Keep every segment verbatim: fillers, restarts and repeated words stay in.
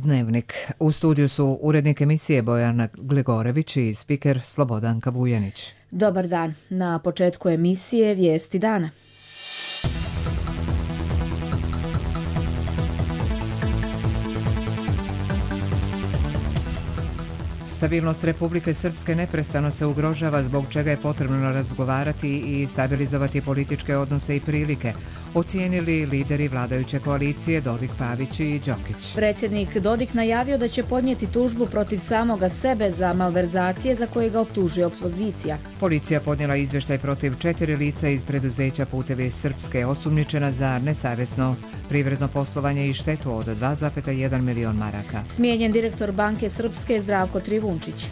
Dnevnik. U studiju su urednik emisije Bojana Glegorević i spiker Slobodanka Vujanić. Dobar dan. Na početku emisije Vijesti dana. Stabilnost Republike Srpske neprestano se ugrožava, zbog čega je potrebno razgovarati i stabilizovati političke odnose i prilike, ocijenili lideri vladajuće koalicije Dodik, Pavić i Đokić. Predsjednik Dodik najavio da će podnijeti tužbu protiv samoga sebe za malverzacije za koje ga optužuje opozicija. Policija podnijela izvještaj protiv četiri lica iz preduzeća Putevi Srpske, osumnjičena za nesavjesno privredno poslovanje i štetu od dva zarez jedan milion maraka. Smijenjen direktor Banke Srpske Zdravko Trivunčić.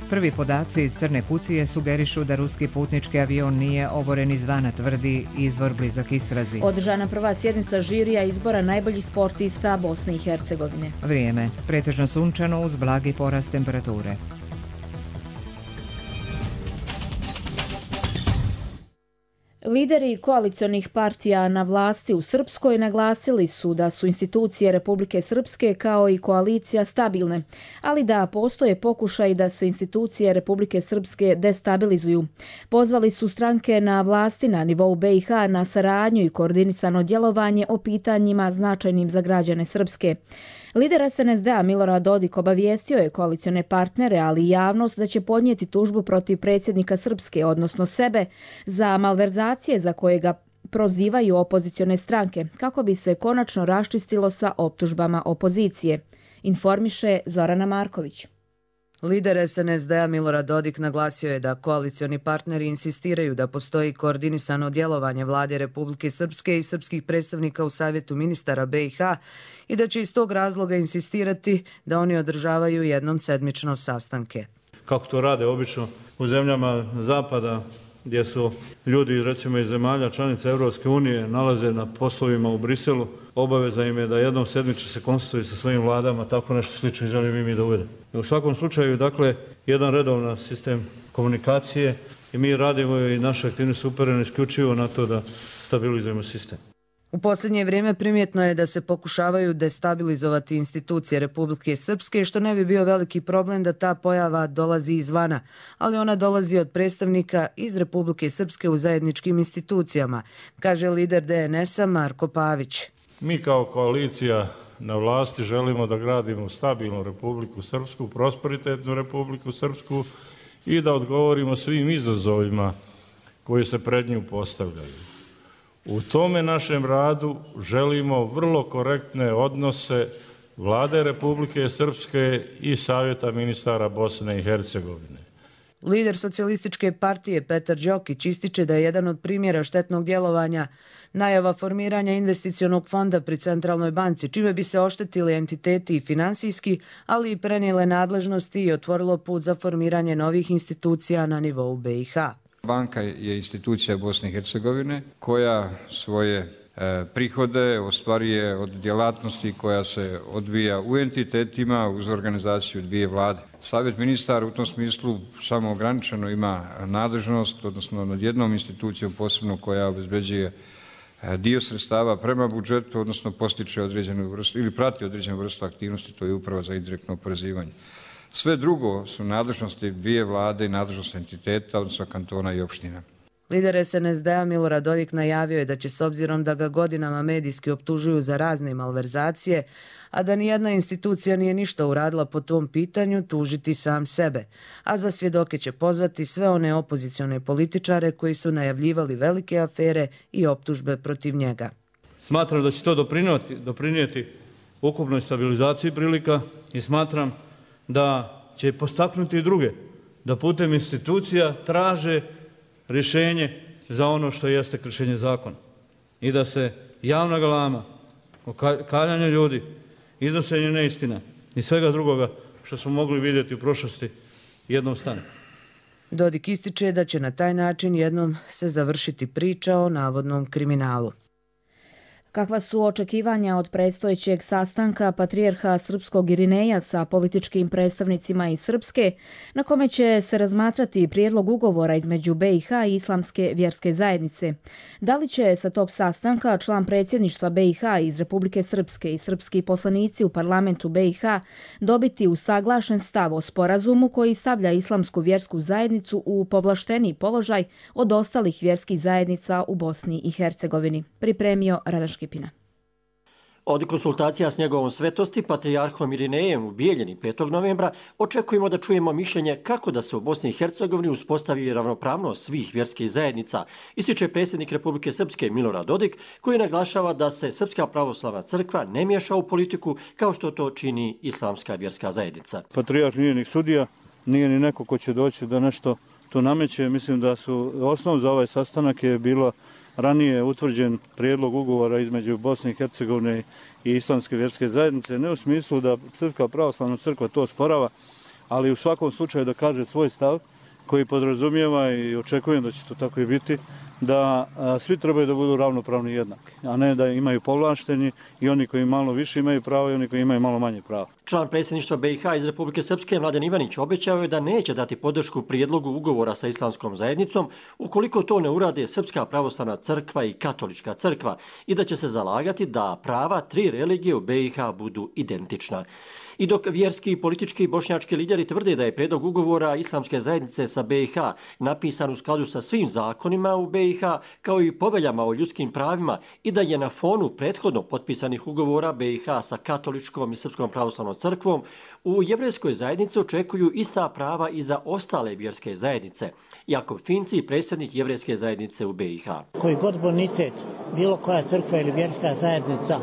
Prvi podaci iz crne kutije sugerišu da ruski putnički avion nije oboren izvana, tvrdi izvor blizak istrazi. Održana prva sjednica žirija izbora najboljih sportista Bosne i Hercegovine. Vrijeme. Pretežno sunčano uz blagi porast temperature. Lideri koalicionih partija na vlasti u Srpskoj naglasili su da su institucije Republike Srpske kao i koalicija stabilne, ali da postoje pokušaj da se institucije Republike Srpske destabilizuju. Pozvali su stranke na vlasti na nivou B i H na saradnju i koordinisano djelovanje o pitanjima značajnim za građane Srpske. Lider S N S D-a Milorad Dodik obavijestio je koalicione partnere, ali i javnost, da će podnijeti tužbu protiv predsjednika Srpske, odnosno sebe, za malverzacije za koje ga prozivaju opozicione stranke, kako bi se konačno raščistilo sa optužbama opozicije, informiše Zorana Marković. Lider S N S D-a Milorad Dodik naglasio je da koalicioni partneri insistiraju da postoji koordinisano djelovanje vlade Republike Srpske i srpskih predstavnika u Savjetu ministara B i H i da će iz tog razloga insistirati da oni održavaju jednom sedmično sastanke. Kako to rade obično u zemljama zapada, gdje su ljudi recimo iz zemalja članica Europske unije nalaze na poslovima u Briselu, obaveza im je da jednom sedmično se konstituju sa svojim vladama, tako nešto slično želim i mi da uvedemo. U svakom slučaju, dakle, jedan redovan sistem komunikacije i mi radimo i naše aktivnosti su uperene isključivo na to da stabilizujemo sistem. U posljednje vrijeme primjetno je da se pokušavaju destabilizovati institucije Republike Srpske, što ne bi bio veliki problem da ta pojava dolazi izvana, ali ona dolazi od predstavnika iz Republike Srpske u zajedničkim institucijama, kaže lider D N S-a Marko Pavić. Mi kao koalicija na vlasti želimo da gradimo stabilnu Republiku Srpsku, prosperitetnu Republiku Srpsku i da odgovorimo svim izazovima koji se pred nju postavljaju. U tome našem radu želimo vrlo korektne odnose Vlade Republike Srpske i Savjeta ministara Bosne i Hercegovine. Lider socijalističke partije Petar Đokić ističe da je jedan od primjera štetnog djelovanja najava formiranja investicionog fonda pri Centralnoj banci, čime bi se oštetili entiteti i finansijski, ali i prenijele nadležnosti i otvorilo put za formiranje novih institucija na nivou B i H. Banka je institucija Bosne i Hercegovine koja svoje e, prihode ostvaruje od djelatnosti koja se odvija u entitetima uz organizaciju dvije vlade. Savjet ministara u tom smislu samo ograničeno ima nadležnost, odnosno nad jednom institucijom posebno koja obezbeđuje dio sredstava prema budžetu, odnosno postiče određenu vrstu ili prati određenu vrstu aktivnosti, to je uprava za indirektno oporezivanje. Sve drugo su nadležnosti dvije vlade i nadležnosti entiteta, odnosno kantona i opština. Lider S N S D-a Milorad Dodik najavio je da će, s obzirom da ga godinama medijski optužuju za razne malverzacije, a da nijedna institucija nije ništa uradila po tom pitanju, tužiti sam sebe. A za svjedoke će pozvati sve one opozicione političare koji su najavljivali velike afere i optužbe protiv njega. Smatram da će to doprinijeti, doprinijeti ukupnoj stabilizaciji prilika i smatram da će postaknuti i druge da putem institucija traže rješenje za ono što jeste kršenje zakona i da se javna galama, kaljanje ljudi, iznošenje neistina i svega drugoga što smo mogli vidjeti u prošlosti jednom stane. Dodik ističe da će na taj način jednom se završiti priča o navodnom kriminalu. Kakva su očekivanja od predstojećeg sastanka patrijarha srpskog Irineja sa političkim predstavnicima iz Srpske, na kome će se razmatrati prijedlog ugovora između B i H i Islamske vjerske zajednice? Da li će sa tog sastanka član predsjedništva B i H iz Republike Srpske i srpski poslanici u parlamentu B i H dobiti usaglašen stav o sporazumu koji stavlja Islamsku vjersku zajednicu u povlašteniji položaj od ostalih vjerskih zajednica u Bosni i Hercegovini? Pripremio Radan Škipina. Od konsultacija s njegovom svetosti, patrijarhom Irinejem u Bijeljini petog novembra, očekujemo da čujemo mišljenje kako da se u Bosni i Hercegovini uspostavi ravnopravnost svih vjerskih zajednica, ističe predsjednik Republike Srpske Milorad Dodik, koji naglašava da se Srpska pravoslavna crkva ne miješa u politiku kao što to čini Islamska vjerska zajednica. Patrijarh nije ni sudija, nije ni neko ko će doći da nešto to nameće. Mislim da su osnov za ovaj sastanak je bilo ranije utvrđen prijedlog ugovora između Bosne i Hercegovine i Islamske vjerske zajednice, ne u smislu da Srpska pravoslavna crkva to osporava, ali u svakom slučaju da kaže svoj stav koji podrazumijeva, i očekujem da će to tako i biti, da a, svi trebaju da budu ravnopravni i jednaki, a ne da imaju povlašteni i oni koji malo više imaju pravo i oni koji imaju malo manje pravo. Član predsjedništva B i H iz Republike Srpske Mladen Ivanić obećao je da neće dati podršku prijedlogu ugovora sa Islamskom zajednicom ukoliko to ne urade Srpska pravoslavna crkva i Katolička crkva i da će se zalagati da prava tri religije u B i H budu identična. I dok vjerski i politički bošnjački lideri tvrde da je prijedlog ugovora Islamske zajednice sa B i H napisan u skladu sa svim zakonima u B i H kao i poveljama o ljudskim pravima i da je na fonu prethodno potpisanih ugovora B i H sa Katoličkom i Srpskom pravoslavnom crkvom, u jevrejskoj zajednici očekuju ista prava i za ostale vjerske zajednice. Jakov Finci, predsjednik jevrejske zajednice u B i H. Koji god bonitet bilo koja crkva ili vjerska zajednica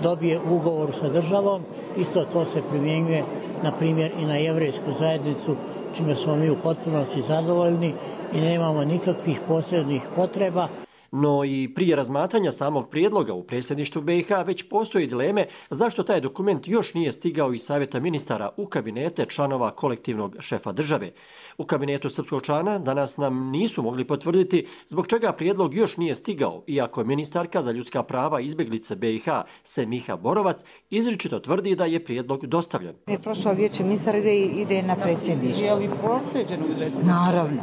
dobije ugovor sa državom, isto to se primjenjuje na primjer i na jevrejsku zajednicu, čime smo mi u potpunosti zadovoljni i nemamo nikakvih posebnih potreba. No i prije razmatranja samog prijedloga u predsjedništvu B i H već postoji dileme zašto taj dokument još nije stigao iz Savjeta ministara u kabinete članova kolektivnog šefa države. U kabinetu srpskog člana danas nam nisu mogli potvrditi zbog čega prijedlog još nije stigao, iako ministarka za ljudska prava izbjeglice B i H Semiha Borovac izričito tvrdi da je prijedlog dostavljen. Je prošao vijeće ministara ide, ide na predsjedništvo. Je li proslijeđen u predsjedništvo? Naravno,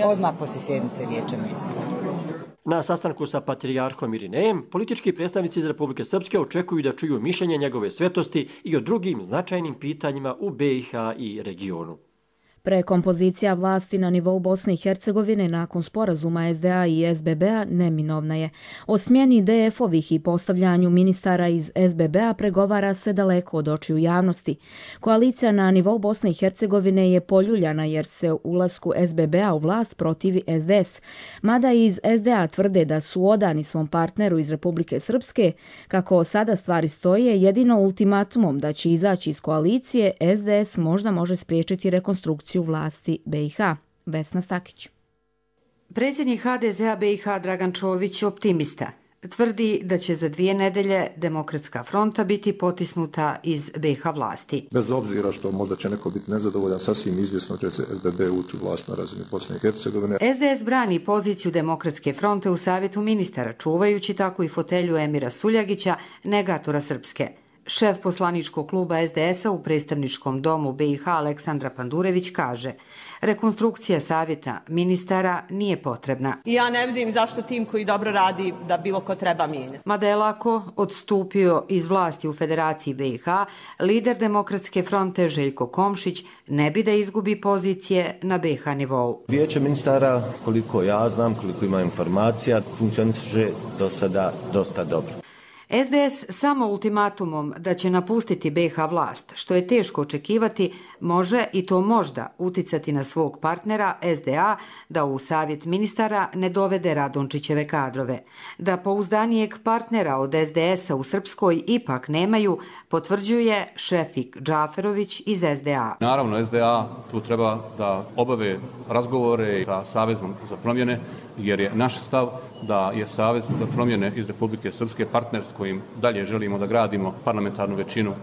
odmah poslije sjednice vijeća ministara. Na sastanku sa patrijarhom Irinejem, politički predstavnici iz Republike Srpske očekuju da čuju mišljenje njegove svetosti i o drugim značajnim pitanjima u B i H i regionu. Prekompozicija vlasti na nivou Bosne i Hercegovine nakon sporazuma S D A i S B B-a neminovna je. O smjeni D F-ovih i postavljanju ministara iz S B B-a pregovara se daleko od očiju javnosti. Koalicija na nivou Bosne i Hercegovine je poljuljana jer se ulasku S B B-a u vlast protivi S D S. Mada iz S D A tvrde da su odani svom partneru iz Republike Srpske, kako sada stvari stoje, jedino ultimatumom da će izaći iz koalicije, S D S možda može spriječiti rekonstrukciju u vlasti B i H. Vesna Stakić. Predsjednik H D Z-a B i H Dragan Čović optimista. Tvrdi da će za dvije nedelje Demokratska fronta biti potisnuta iz B i H vlasti. Bez obzira što možda će neko biti nezadovoljan, sasvim izvjesno će se S B B ući u vlast na razini Bosne i Hercegovine. S D S brani poziciju Demokratske fronte u Savjetu ministara, čuvajući tako i fotelju Emira Suljagića, negatora Srpske. Šef poslaničkog kluba S D S-a u predstavničkom domu B i H Aleksandra Pandurević kaže: rekonstrukcija savjeta ministara nije potrebna. Ja ne vidim zašto tim koji dobro radi da bilo ko treba mijenjati. Mada je lako odstupio iz vlasti u Federaciji B i H, lider Demokratske fronte Željko Komšić ne bi da izgubi pozicije na B i H nivou. Vijeće ministara, koliko ja znam, koliko ima informacija, funkcioniše do sada dosta dobro. S D S samo ultimatumom da će napustiti B i H vlast, što je teško očekivati, može i to možda uticati na svog partnera S D A da u savjet ministara ne dovede Radončićeve kadrove. Da pouzdanijeg partnera od S D S-a u Srpskoj ipak nemaju, potvrđuje Šefik Džaferović iz S D A. Naravno, S D A tu treba da obave razgovore sa Savezom za promjene, jer je naš stav da je Savez za promjene iz Republike Srpske partner s kojim dalje želimo da gradimo parlamentarnu većinu.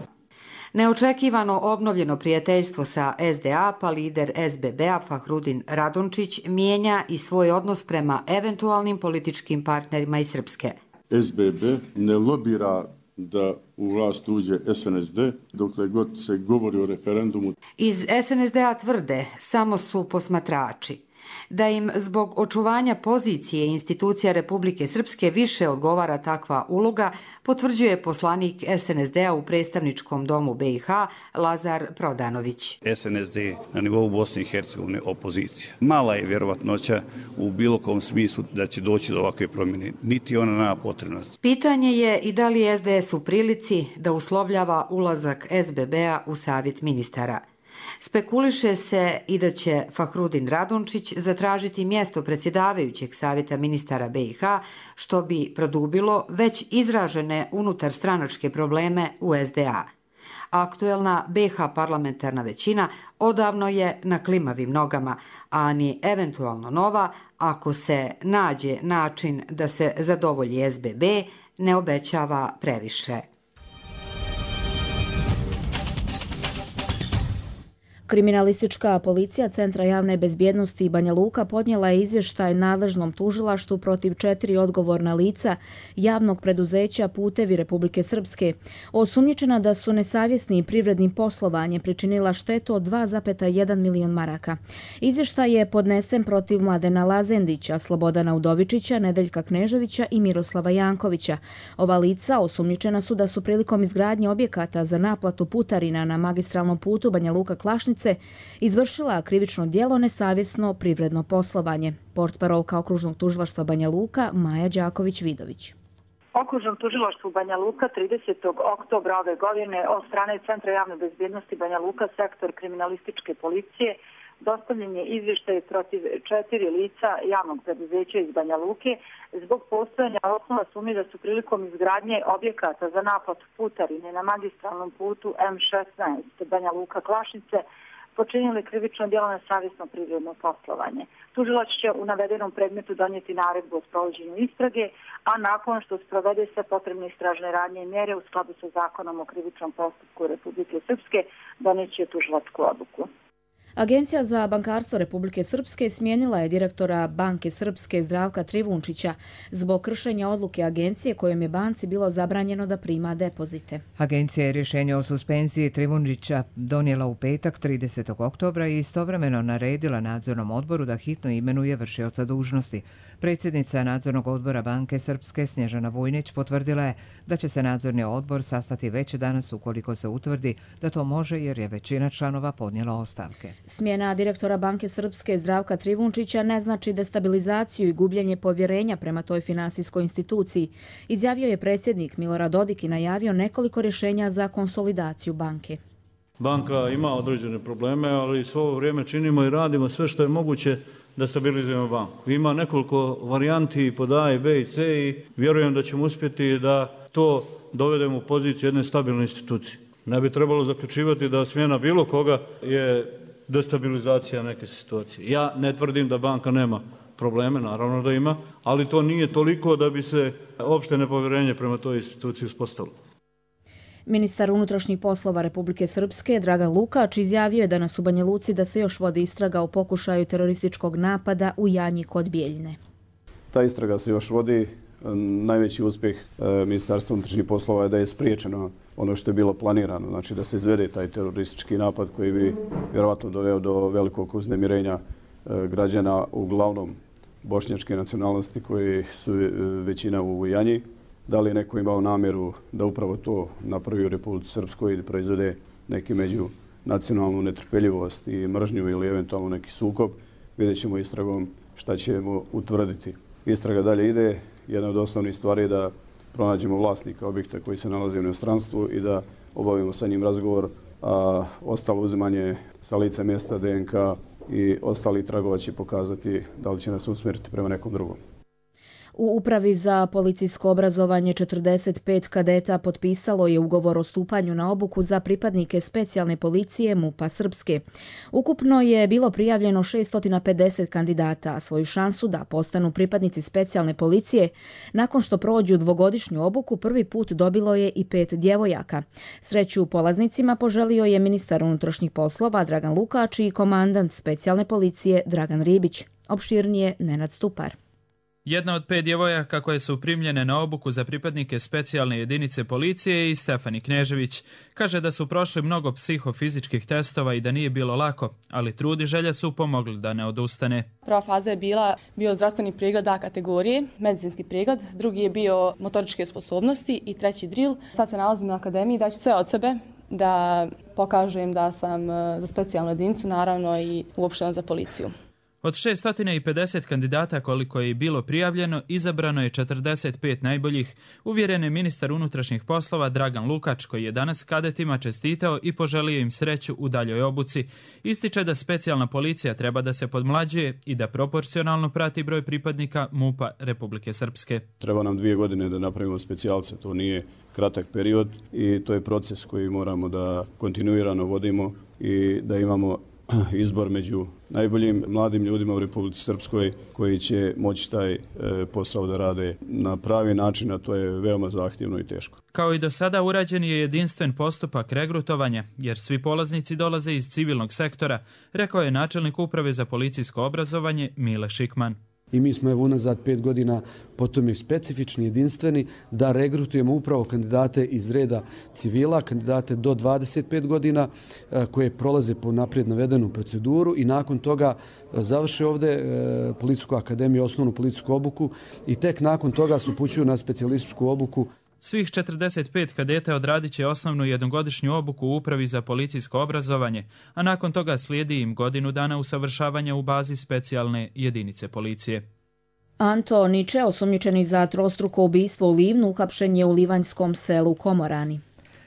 Neočekivano obnovljeno prijateljstvo sa S D A, pa lider S B B-a Fahrudin Radončić mijenja i svoj odnos prema eventualnim političkim partnerima iz Srpske. S B B ne lobira da u vlast uđe S N S D, dokle god se govori o referendumu. Iz S N S D-a tvrde samo su posmatrači. Da im zbog očuvanja pozicije institucija Republike Srpske više odgovara takva uloga, potvrđuje poslanik S N S D-a u predstavničkom domu B i H Lazar Prodanović. S N S D na nivou Bosne i Hercegovine opozicija. Mala je vjerovatnoća u bilo kom smislu da će doći do ovakve promjene, niti ona nema potrebnost. Pitanje je i da li je S D S u prilici da uslovljava ulazak S B B-a u savjet ministara. Spekuliše se i da će Fahrudin Radončić zatražiti mjesto predsjedavajućeg savjeta ministara B i H, što bi produbilo već izražene unutar stranačke probleme u S D A. Aktuelna B H parlamentarna većina odavno je na klimavim nogama, a ni eventualno nova, ako se nađe način da se zadovolji S B B, ne obećava previše. Kriminalistička policija Centra javne bezbjednosti Banja Luka podnijela je izvještaj nadležnom tužilaštvu protiv četiri odgovorna lica javnog preduzeća Putevi Republike Srpske, osumnjičena da su nesavjesni privrednim poslovanjem pričinila štetu od dva zarez jedan milion maraka. Izvještaj je podnesen protiv Mladena Lazendića, Slobodana Udovičića, Nedeljka Kneževića i Miroslava Jankovića. Ova lica osumnjičena su da su prilikom izgradnje objekata za naplatu putarina na magistralnom putu Banja Luka-Klašnica izvršila krivično djelo nesavjesno privredno poslovanje. Portparolka Okružnog tužilaštva Banja Luka Maja Đaković-Vidović. Okružnom tužilaštvu Banja Luka tridesetog oktobra ove godine od strane Centra javne bezbjednosti Banja Luka, sektor kriminalističke policije, dostavljen je izvještaj protiv četiri lica javnog preduzeća iz Banja Luke zbog postojanja osnova sumnje da su prilikom izgradnje objekata za naplatu putarine na magistralnom putu M šesnaest Banja Luka-Klašnice počinili krivično djelo nesavjesno privredno poslovanje. Tužilac će u navedenom predmetu donijeti naredbu o sprovođenju istrage, a nakon što sprovede sve potrebne istražne radnje i mjere u skladu sa zakonom o krivičnom postupku Republike Srpske, donijeće tužilačku odluku. Agencija za bankarstvo Republike Srpske smijenila je direktora Banke Srpske Zdravka Trivunčića zbog kršenja odluke agencije kojom je banci bilo zabranjeno da prima depozite. Agencija je rješenje o suspenziji Trivunčića donijela u petak tridesetog oktobra i istovremeno naredila nadzornom odboru da hitno imenuje vršioca dužnosti. Predsjednica nadzornog odbora Banke Srpske Snježana Vujnić potvrdila je da će se nadzorni odbor sastati već danas ukoliko se utvrdi da to može jer je većina članova podnijela ostavke. Smjena direktora Banke Srpske Zdravka Trivunčića ne znači destabilizaciju i gubljenje povjerenja prema toj finansijskoj instituciji, izjavio je predsjednik Milorad Dodik i najavio nekoliko rješenja za konsolidaciju banke. Banka ima određene probleme, ali svo ovo vrijeme činimo i radimo sve što je moguće da stabilizujemo banku. Ima nekoliko varijanti pod A i B i C i vjerujem da ćemo uspjeti da to dovedemo u poziciju jedne stabilne institucije. Ne bi trebalo zaključivati da smjena bilo koga je destabilizacija neke situacije. Ja ne tvrdim da banka nema probleme, naravno da ima, ali to nije toliko da bi se opšte nepovjerenje prema toj instituciji uspostavilo. Ministar unutrašnjih poslova Republike Srpske Dragan Lukač izjavio je danas u Banja Luci da se još vodi istraga o pokušaju terorističkog napada u Janji kod Bijeljine. Ta istraga se još vodi. Najveći uspjeh Ministarstva unutrašnjih poslova je da je spriječeno ono što je bilo planirano, znači da se izvede taj teroristički napad koji bi vjerovatno doveo do velikog uznemirenja građana, uglavnom bošnjačke nacionalnosti koji su većina u Janji. Da li je neko imao namjeru da upravo to napravi u Republici Srpskoj i da proizvede neki međunacionalnu netrpeljivost i mržnju ili eventualno neki sukob, vidjet ćemo istragom šta ćemo utvrditi. Istraga dalje ide. Jedna od osnovnih stvari je da pronađemo vlasnika objekta koji se nalazi u inostranstvu i da obavimo sa njim razgovor, a ostalo uzimanje sa lica mjesta D N K i ostali tragova će pokazati da li će nas usmjeriti prema nekom drugom. U Upravi za policijsko obrazovanje četrdeset pet kadeta potpisalo je ugovor o stupanju na obuku za pripadnike specijalne policije MUP-a Srpske. Ukupno je bilo prijavljeno šesto pedeset kandidata, a svoju šansu da postanu pripadnici specijalne policije nakon što prođu dvogodišnju obuku prvi put dobilo je i pet djevojaka. Sreću polaznicima poželio je ministar unutrašnjih poslova Dragan Lukač i komandant specijalne policije Dragan Ribić. Opširnije Nenad Stupar. Jedna od pet djevojaka koje su primljene na obuku za pripadnike specijalne jedinice policije je i Stefani Knežević. Kaže da su prošli mnogo psihofizičkih testova i da nije bilo lako, ali trud i želja su pomogli da ne odustane. Prva faza je bila bio zdravstveni pregled A kategorije, medicinski pregled, drugi je bio motoričke sposobnosti i treći drill. Sad se nalazim na akademiji, daću sve od sebe da pokažem da sam za specijalnu jedinicu, naravno i uopšteno za policiju. Od šesto pedeset kandidata koliko je bilo prijavljeno, izabrano je četrdeset pet najboljih, uvjeren je ministar unutrašnjih poslova Dragan Lukač, koji je danas kadetima čestitao i poželio im sreću u daljoj obuci. Ističe da specijalna policija treba da se podmlađuje i da proporcionalno prati broj pripadnika MUP-a Republike Srpske. Treba nam dvije godine da napravimo specijalce, to nije kratak period i to je proces koji moramo da kontinuirano vodimo i da imamo izbor među najboljim mladim ljudima u Republici Srpskoj koji će moći taj e, posao da rade na pravi način, a to je veoma zahtjevno i teško. Kao i do sada urađen je jedinstven postupak regrutovanja, jer svi polaznici dolaze iz civilnog sektora, rekao je načelnik uprave za policijsko obrazovanje Mile Šikman. I mi smo evo unazad pet godina potom specifični, jedinstveni, da regrutujemo upravo kandidate iz reda civila, kandidate do dvadeset pet godina koje prolaze po naprijed navedenu proceduru i nakon toga završe ovdje Policijsku akademiju, osnovnu policijsku obuku i tek nakon toga se upućuju na specijalističku obuku. Svih četrdeset pet kadeta odradit će osnovnu jednogodišnju obuku u Upravi za policijsko obrazovanje, a nakon toga slijedi im godinu dana usavršavanja u bazi specijalne jedinice policije. Anto Niče, osumnjičeni za trostruko ubistvo u Livnu, uhapšen je u livanjskom selu Komorani.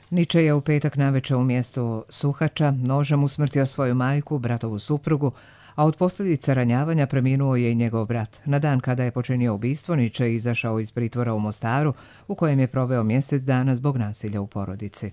Niče je u petak navečer u mjestu Suhača nožem usmrtio svoju majku, bratovu suprugu, a od posljedica ranjavanja preminuo je i njegov brat. Na dan kada je počinio ubistvo, Niče je izašao iz pritvora u Mostaru, u kojem je proveo mjesec dana zbog nasilja u porodici.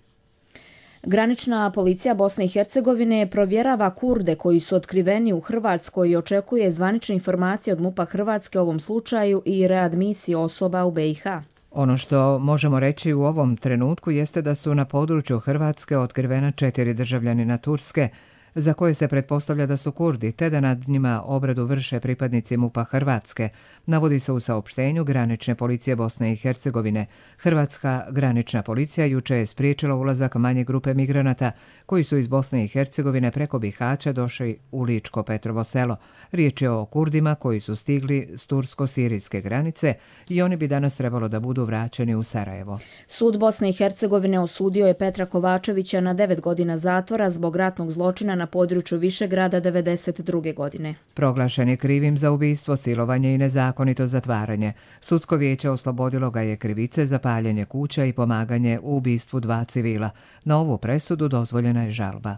Granična policija Bosne i Hercegovine provjerava Kurde koji su otkriveni u Hrvatskoj i očekuje zvanične informacije od MUP-a Hrvatske o ovom slučaju i readmisiji osoba u be i ha. Ono što možemo reći u ovom trenutku jeste da su na području Hrvatske otkrivena četiri državljanina Turske, za koje se pretpostavlja da su Kurdi, te da nad njima obradu vrše pripadnici MUP-a Hrvatske, navodi se u saopštenju Granične policije Bosne i Hercegovine. Hrvatska granična policija juče je spriječila ulazak manje grupe migranata koji su iz Bosne i Hercegovine preko Bihaća došli u Ličko Petrovo selo. Riječ je o Kurdima koji su stigli s tursko-sirijske granice i oni bi danas trebalo da budu vraćeni u Sarajevo. Sud Bosne i Hercegovine osudio je Petra Kovačevića na devet godina zatvora zbog ratnog zločina na području Višegrada devedeset druge godine. Proglašen je krivim za ubistvo, silovanje i nezakonito zatvaranje. Sudsko vijeće oslobodilo ga je krivice za paljenje kuća i pomaganje u ubistvu dva civila. Na ovu presudu dozvoljena je žalba.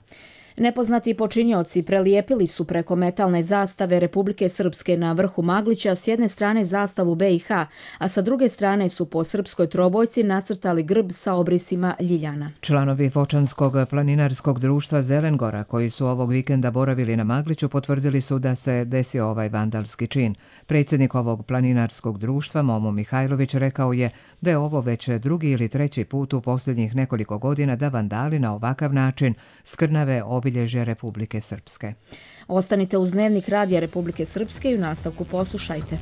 Nepoznati počinioci prelijepili su preko metalne zastave Republike Srpske na vrhu Maglića s jedne strane zastavu be i ha, a sa druge strane su po srpskoj trobojci nacrtali grb sa obrisima ljiljana. Članovi Vočanskog planinarskog društva Zelengora, koji su ovog vikenda boravili na Magliću, potvrdili su da se desio ovaj vandalski čin. Predsjednik ovog planinarskog društva, Momo Mihajlović, rekao je da je ovo već drugi ili treći put u posljednjih nekoliko godina da vandali na ovakav način skrnave obilježje Republike Srpske. Ostanite uz Dnevnik radija Republike Srpske i u nastavku poslušajte.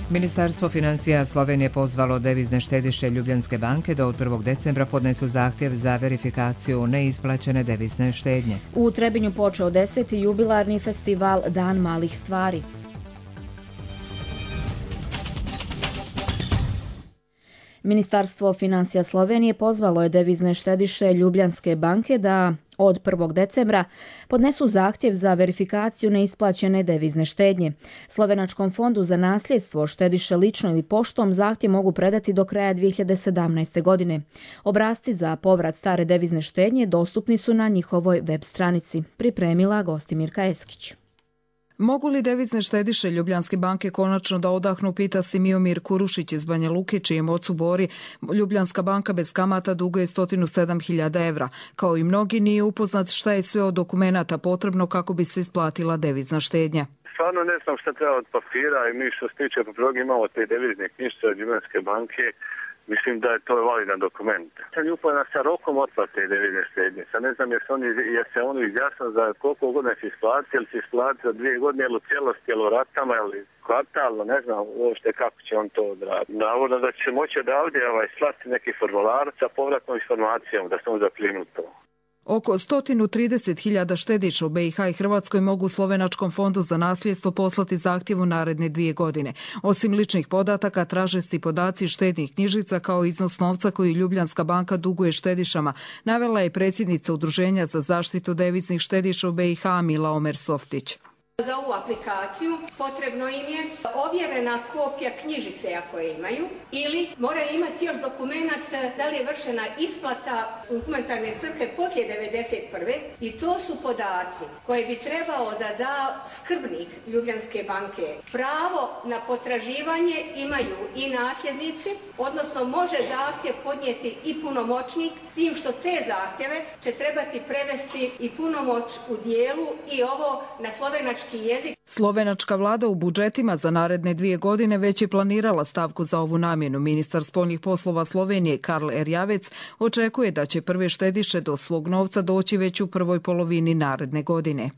Ministarstvo financija Slovenije pozvalo devizne štediše Ljubljanske banke da od prvog decembra podnesu zahtjev za verifikaciju neisplaćene devizne štednje. U Trebinju počeo deseti jubilarni festival Dan malih stvari. Ministarstvo financija Slovenije pozvalo je devizne štediše Ljubljanske banke da od prvog decembra podnesu zahtjev za verifikaciju neisplaćene devizne štednje. Slovenačkom fondu za nasljedstvo štediše lično ili poštom zahtjev mogu predati do kraja dvije hiljade sedamnaeste. godine. Obrasci za povrat stare devizne štednje dostupni su na njihovoj web stranici, pripremila Gostimirka Eskić. Mogu li devizne štediše Ljubljanske banke konačno da odahnu, pita Simiomir Kurušić iz Banja Luke, čijem ocu Bori Ljubljanska banka bez kamata duguje sto sedam hiljada evra. Kao i mnogi, nije upoznat šta je sve od dokumenata potrebno kako bi se isplatila devizna štednja. Stvarno ne znam šta treba od papira i mi što se tiče papirog imamo te devizne knjižice od Ljubljanske banke. Mislim da je to validan dokument. Sam je upoznat sa rokom otplate devizne štednje. Sad ne znam jer se oni, jer se oni izjasno za koliko godina će isplatiti, ili će isplatiti za dvije godine, ili u cijelosti, ili u ratama, ili kvartalno, ne znam uopšte kako će on to odraditi. Navodno da će se moći odavde ovaj, slati neki formular sa povratnom informacijom, da se on zaklinu to. Oko sto trideset hiljada štediša u B i H i Hrvatskoj mogu Slovenačkom fondu za nasljedstvo poslati zahtjev u naredne dvije godine. Osim ličnih podataka, traže se i podaci štednih knjižica kao iznos novca koji Ljubljanska banka duguje štedišama, navela je predsjednica Udruženja za zaštitu deviznih štediša u B i H Mila Omer-Softić. Za ovu aplikaciju potrebno im je ovjerena kopija knjižice ako je imaju ili moraju imati još dokumenat da li je vršena isplata u humanitarne svrhe poslije devedeset prve i to su podaci koje bi trebao da da skrbnik Ljubljanske banke. Pravo na potraživanje imaju i nasljednici, odnosno može zahtjev podnijeti i punomoćnik, s tim što te zahtjeve će trebati prevesti i punomoć u dijelu i ovo na slovenački jezik. Slovenačka vlada u budžetima za naredne dvije godine već je planirala stavku za ovu namjenu. Ministar spoljnih poslova Slovenije Karl Erjavec očekuje da će prve štediše do svog novca doći već u prvoj polovini naredne godine.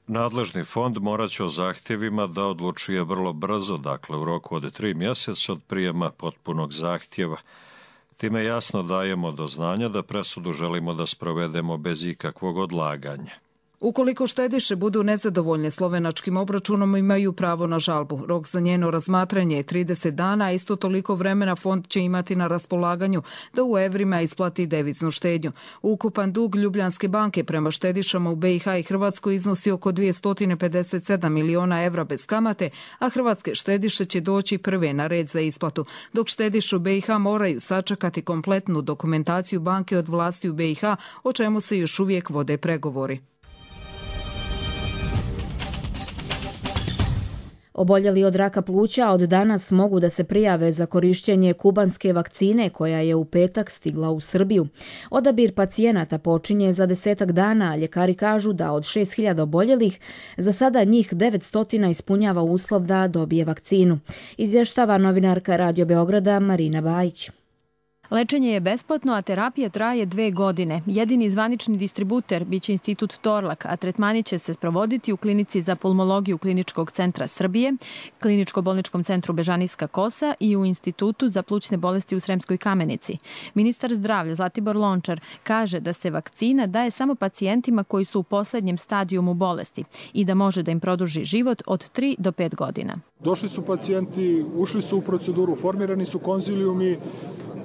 Nadležni fond morat će o zahtjevima da odlučuje vrlo brzo, dakle u roku od tri mjeseca od prijema potpunog zahtjeva. Time jasno dajemo do znanja da presudu želimo da sprovedemo bez ikakvog odlaganja. Ukoliko štediše budu nezadovoljne slovenačkim obračunom, imaju pravo na žalbu. Rok za njeno razmatranje je trideset dana, a isto toliko vremena fond će imati na raspolaganju da u evrima isplati deviznu štednju. Ukupan dug Ljubljanske banke prema štedišama u B i H i Hrvatskoj iznosi oko dvjesto pedeset sedam miliona evra bez kamate, a hrvatske štediše će doći prve na red za isplatu, dok štediše u B i H moraju sačekati kompletnu dokumentaciju banke od vlasti u B i H, o čemu se još uvijek vode pregovori. Oboljeli od raka pluća od danas mogu da se prijave za korištenje kubanske vakcine koja je u petak stigla u Srbiju. Odabir pacijenata počinje za desetak dana, a ljekari kažu da od šest hiljada oboljelih za sada njih devetsto ispunjava uslov da dobije vakcinu. Izvještava novinarka Radio Beograda Marina Bajić. Lečenje je besplatno, a terapija traje dve godine. Jedini zvanični distributer biće Institut Torlak, a tretmani će se sprovoditi u klinici za pulmologiju Kliničkog centra Srbije, Kliničko-bolničkom centru Bežanijska Kosa i u Institutu za plućne bolesti u Sremskoj Kamenici. Ministar zdravlja Zlatibor Lončar kaže da se vakcina daje samo pacijentima koji su u poslednjem stadijumu bolesti i da može da im produži život od tri do pet godina. Došli su pacijenti, ušli su u proceduru, formirani su konzilijumi,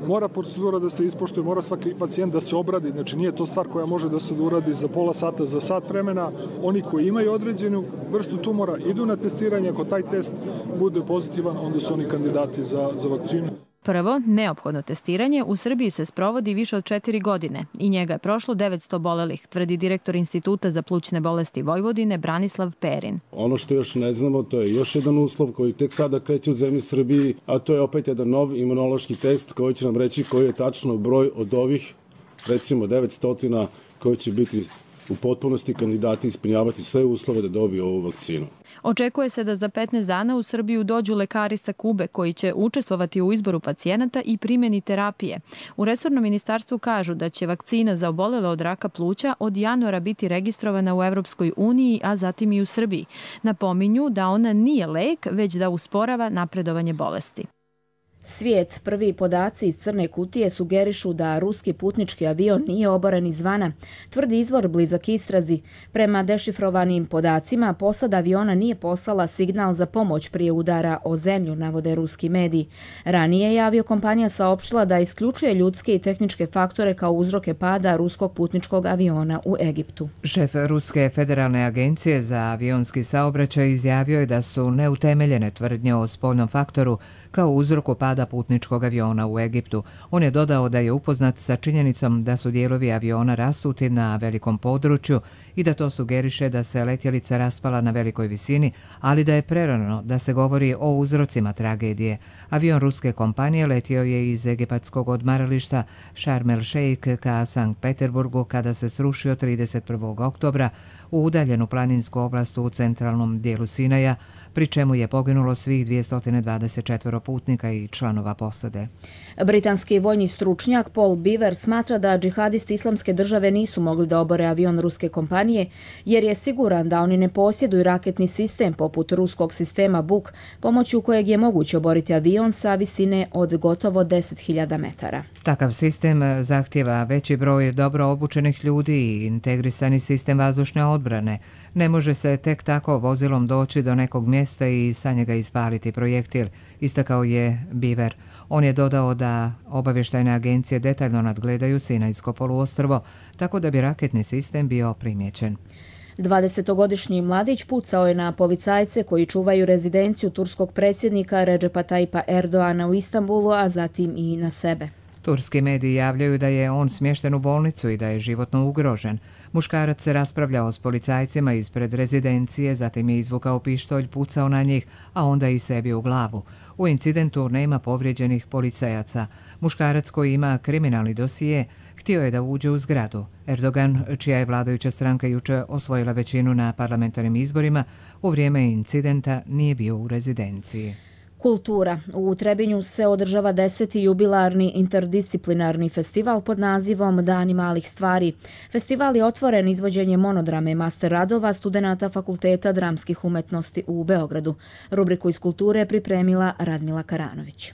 mora procedura da se ispoštuje, mora svaki pacijent da se obradi, znači nije to stvar koja može da se uradi za pola sata, za sat vremena. Oni koji imaju određenu vrstu tumora idu na testiranje, ako taj test bude pozitivan, onda su oni kandidati za, za vakcinu. Prvo, neophodno testiranje u Srbiji se sprovodi više od četiri godine i njega je prošlo devetsto obolelih, tvrdi direktor Instituta za plućne bolesti Vojvodine Branislav Perin. Ono što još ne znamo, to je još jedan uslov koji tek sada kreće u zemlji Srbiji, a to je opet jedan nov imunološki test koji će nam reći koji je tačno broj od ovih, recimo devetsto koji će biti u potpunosti kandidati ispunjavati sve uslove da dobiju ovu vakcinu. Očekuje se da za petnaest dana u Srbiju dođu lekari sa Kube koji će učestvovati u izboru pacijenata i primjeni terapije. U resornom ministarstvu kažu da će vakcina za obolele od raka pluća od januara biti registrovana u Evropskoj uniji, a zatim i u Srbiji. Napominju da ona nije lek, već da usporava napredovanje bolesti. Svijet, prvi podaci iz crne kutije sugerišu da ruski putnički avion nije oboren izvana, tvrdi izvor blizak istrazi. Prema dešifrovanim podacima, posada aviona nije poslala signal za pomoć prije udara o zemlju, navode ruski mediji. Ranije je aviokompanija saopštila da isključuje ljudske i tehničke faktore kao uzroke pada ruskog putničkog aviona u Egiptu. Šef Ruske federalne agencije za avionski saobraćaj izjavio je da su neutemeljene tvrdnje o spoljnom faktoru kao uzroku pada putničkog aviona u Egiptu. On je dodao da je upoznat sa činjenicom da su dijelovi aviona rasuti na velikom području i da to sugeriše da se letjelica raspala na velikoj visini, ali da je prerano da se govori o uzrocima tragedije. Avion ruske kompanije letio je iz egipatskog odmarališta Sharm el Sheikh ka Sankt Peterburgu kada se srušio trideset prvog oktobra u udaljenu planinsku oblast u centralnom dijelu Sinaja, pri čemu je poginulo svih dvjesto dvadeset četiri putnika i članova članova posade. Britanski vojni stručnjak Paul Beaver smatra da džihadisti Islamske države nisu mogli da obore avion ruske kompanije jer je siguran da oni ne posjeduju raketni sistem poput ruskog sistema Buk, pomoću kojeg je moguće oboriti avion sa visine od gotovo deset hiljada metara. Takav sistem zahtjeva veći broj dobro obučenih ljudi i integrisani sistem vazdušne odbrane. Ne može se tek tako vozilom doći do nekog mjesta i sa njega ispaliti projektil, istakao je Beaver. On je dodao da obavještajne agencije detaljno nadgledaju Sinajsko poluostrvo, tako da bi raketni sistem bio primijećen. dvadesetogodišnji mladić pucao je na policajce koji čuvaju rezidenciju turskog predsjednika Recepa Tayyipa Erdoana u Istanbulu, a zatim i na sebe. Turski mediji javljaju da je on smješten u bolnicu i da je životno ugrožen. Muškarac se raspravljao s policajcima ispred rezidencije, zatim je izvukao pištolj, pucao na njih, a onda i sebi u glavu. U incidentu nema povrijeđenih policajaca. Muškarac koji ima kriminalni dosije htio je da uđe u zgradu. Erdogan, čija je vladajuća stranka jučer osvojila većinu na parlamentarnim izborima, u vrijeme incidenta nije bio u rezidenciji. Kultura. U Trebinju se održava deseti jubilarni interdisciplinarni festival pod nazivom Dani malih stvari. Festival je otvoren izvođenjem monodrame master radova studenata Fakulteta dramskih umetnosti u Beogradu. Rubriku iz kulture pripremila Radmila Karanović.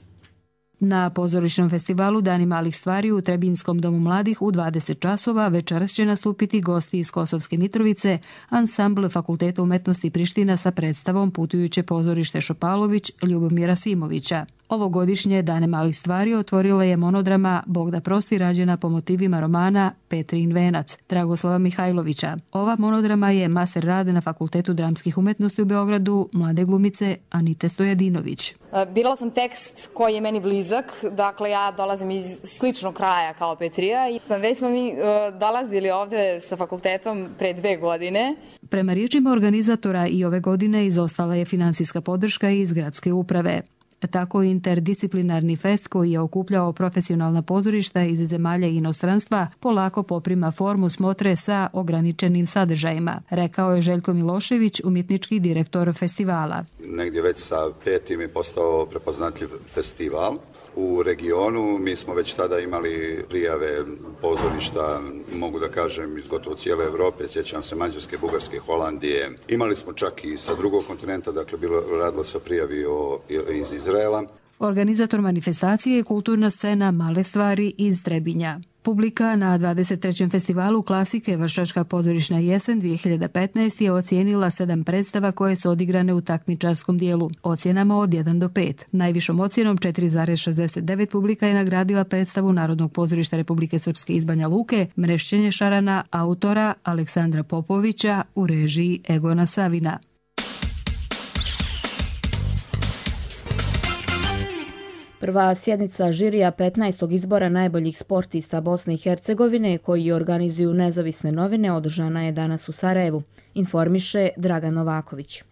Na pozorišnom festivalu Dani malih stvari u Trebinskom domu mladih u dvadeset časova večeras će nastupiti gosti iz Kosovske Mitrovice, ansambl Fakulteta umetnosti Priština sa predstavom Putujuće pozorište Šopalović Ljubomira Simovića. Ovogodišnje Dane malih stvari otvorila je monodrama Bog da prosti, rađena po motivima romana Petrin venac Dragoslava Mihajlovića. Ova monodrama je master rad na Fakultetu dramskih umetnosti u Beogradu mlade glumice Anite Stojadinović. Birala sam tekst koji je meni blizak, dakle ja dolazim iz sličnog kraja kao Petrija i već smo mi uh, dolazili ovde sa fakultetom pre dve godine. Prema riječima organizatora i ove godine izostala je finansijska podrška iz gradske uprave. Tako interdisciplinarni fest koji je okupljao profesionalna pozorišta iz zemalja i inostranstva polako poprima formu smotre sa ograničenim sadržajima, rekao je Željko Milošević, umjetnički direktor festivala. Negdje već sa petim je postao prepoznatljiv festival. U regionu mi smo već tada imali prijave pozorišta, mogu da kažem, iz gotovo cijele Europe, sjećam se Mađarske, Bugarske, Holandije. Imali smo čak i sa drugog kontinenta, dakle bilo, radilo se o prijavi o, iz Izraela. Organizator manifestacije je kulturna scena Male stvari iz Trebinja. Publika na dvadeset trećem festivalu klasike Vršačka pozorišna jesen dvije hiljade petnaeste. je ocijenila sedam predstava koje su odigrane u takmičarskom dijelu, ocjenama od jedan do pet. Najvišom ocjenom četiri zarez šezdeset devet publika je nagradila predstavu Narodnog pozorišta Republike Srpske iz Banja Luke Mrešćenje šarana autora Aleksandra Popovića u režiji Egona Savina. Prva sjednica žirija petnaestog izbora najboljih sportista Bosne i Hercegovine koji organizuju nezavisne novine održana je danas u Sarajevu, informiše Dragan Novaković.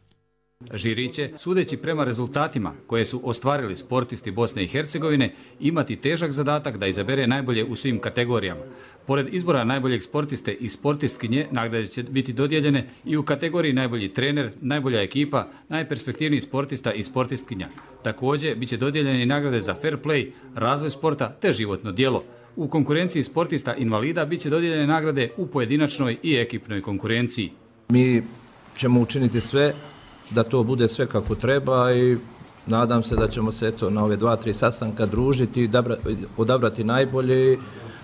Žiri će, sudeći prema rezultatima koje su ostvarili sportisti Bosne i Hercegovine, imati težak zadatak da izabere najbolje u svim kategorijama. Pored izbora najboljeg sportiste i sportistkinje, nagrade će biti dodijeljene i u kategoriji najbolji trener, najbolja ekipa, najperspektivniji sportista i sportistkinja. Također, bit će dodijeljene i nagrade za fair play, razvoj sporta te životno djelo. U konkurenciji sportista invalida bit će dodijeljene nagrade u pojedinačnoj i ekipnoj konkurenciji. Mi ćemo učiniti sve da to bude sve kako treba i nadam se da ćemo se eto na ove dva, tri sastanka družiti i odabrati najbolje i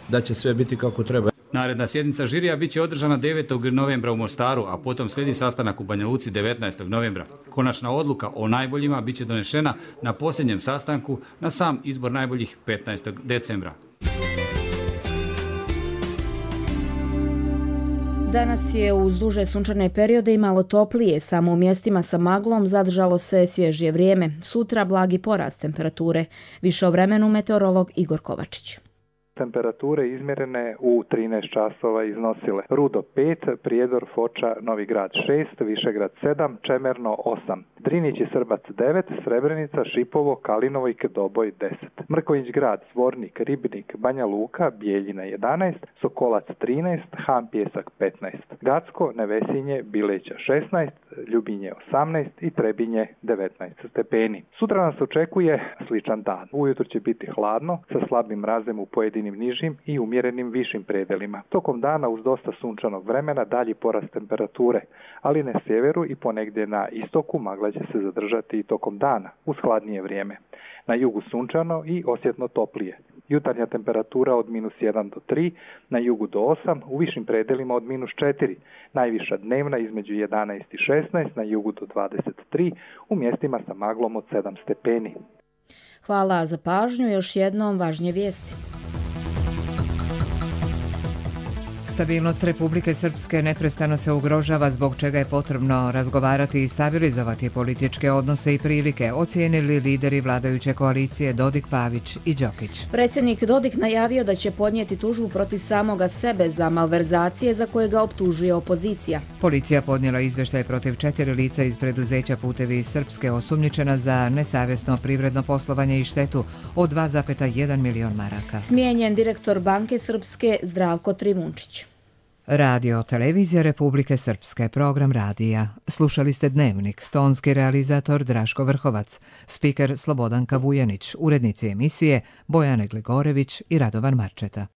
da će sve biti kako treba. Naredna sjednica žirija bit će održana devetog novembra u Mostaru, a potom slijedi sastanak u Banja Luci devetnaestog novembra. Konačna odluka o najboljima bit će donešena na posljednjem sastanku na sam izbor najboljih petnaestog decembra. Danas je uz duže sunčane periode i malo toplije, samo u mjestima sa maglom zadržalo se svježije vrijeme. Sutra blagi porast temperature. Više o vremenu meteorolog Igor Kovačić. Temperature izmjerene u trinaest časova iznosile Rudo pet, Prijedor, Foča, Novi Grad šest, Višegrad sedam, Čemerno osam, Drinić i Srbac devet, Srebrenica, Šipovo, Kalinovo i Doboj deset, Mrkonjić Grad, Zvornik, Ribnik, Banja Luka, Bijeljina jedanaest, Sokolac trinaest, Han Pjesak petnaest, Gacko, Nevesinje, Bileća šesnaest, Ljubinje osamnaest i Trebinje devetnaest stepeni. Sutra nas očekuje sličan dan. Ujutro će biti hladno sa slabim mrazem u pojedinim nižim i umjerenim višim predelima. Tokom dana uz dosta sunčanog vremena dalji porast temperature, ali na sjeveru i ponegdje na istoku magla će se zadržati i tokom dana uz hladnije vrijeme. Na jugu sunčano i osjetno toplije. Jutarnja temperatura od minus jedan do tri, na jugu do osam, u višim predelima od minus četiri. Najviša dnevna između jedanaest i šesnaest, na jugu do dvadeset tri, u mjestima sa maglom od sedam stepeni. Hvala za pažnju, još jednom važnije vijesti. Stabilnost Republike Srpske neprestano se ugrožava, zbog čega je potrebno razgovarati i stabilizovati političke odnose i prilike, ocijenili lideri vladajuće koalicije Dodik, Pavić i Đokić. Predsjednik Dodik najavio da će podnijeti tužbu protiv samoga sebe za malverzacije za koje ga optužuje opozicija. Policija podnijela izvještaj protiv četiri lica iz preduzeća Putevi Srpske osumnjičena za nesavjesno privredno poslovanje i štetu od dva zarez jedan milion maraka. Smijenjen direktor Banke Srpske Zdravko Trivunčić. Radio Televizija Republike Srpske, program radija. Slušali ste Dnevnik, tonski realizator Draško Vrhovac, spiker Slobodanka Vujanić, urednici emisije Bojane Gligorević i Radovan Marčeta.